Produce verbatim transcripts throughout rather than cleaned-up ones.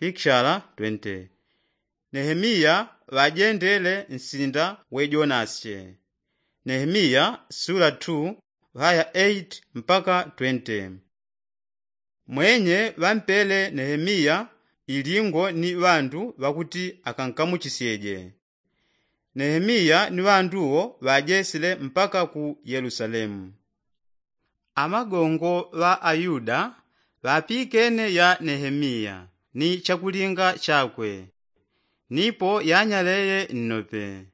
Pikishala twente. Nehemiya ŵajendele nsinda we jonasye. Nehemiya sula tu ŵaya eiti mpaka twente. Mwenye ŵampele nehemiya ilingo ni ŵandu ŵakuti akankamuchisyeje. Nehemiya ni ŵandu wo ŵajesile mpaka ku yelusalemu. Amagongo ŵa ayuda ŵapikene ya nehemiya ni chakulinga chakwe. Nipo yanyaleye nnope.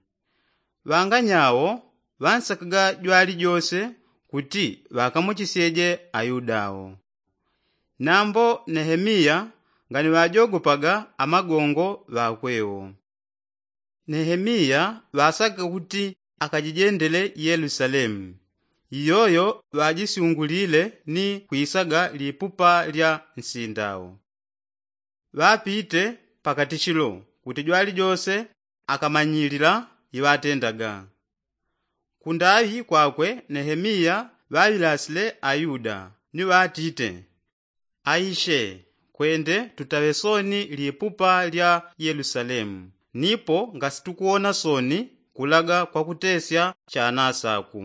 Ŵanganyawo ŵansakaga jwali jose kuti ŵakamuchisyeje ayuda wo. Nambo nehemiya nganiŵajogopaga amagongo ŵakwe wo. Nehemiya ŵasaka kuti akajijendele yelusalemu. Iyoyo ŵajisyungulile ni kwisaga lipupa lya nsinda wo. Ŵapite pakatichilo kuti jwali jose akamanyilila iŵatendaga. Kundaŵi kwakwe nehemiya ŵaŵilasile ayuda ni ŵatite, aishe, kwende tutaŵe soni lipupa lya yelusalemu nipo ngasitukuwona soni kulaga kwakutesya chanasaku.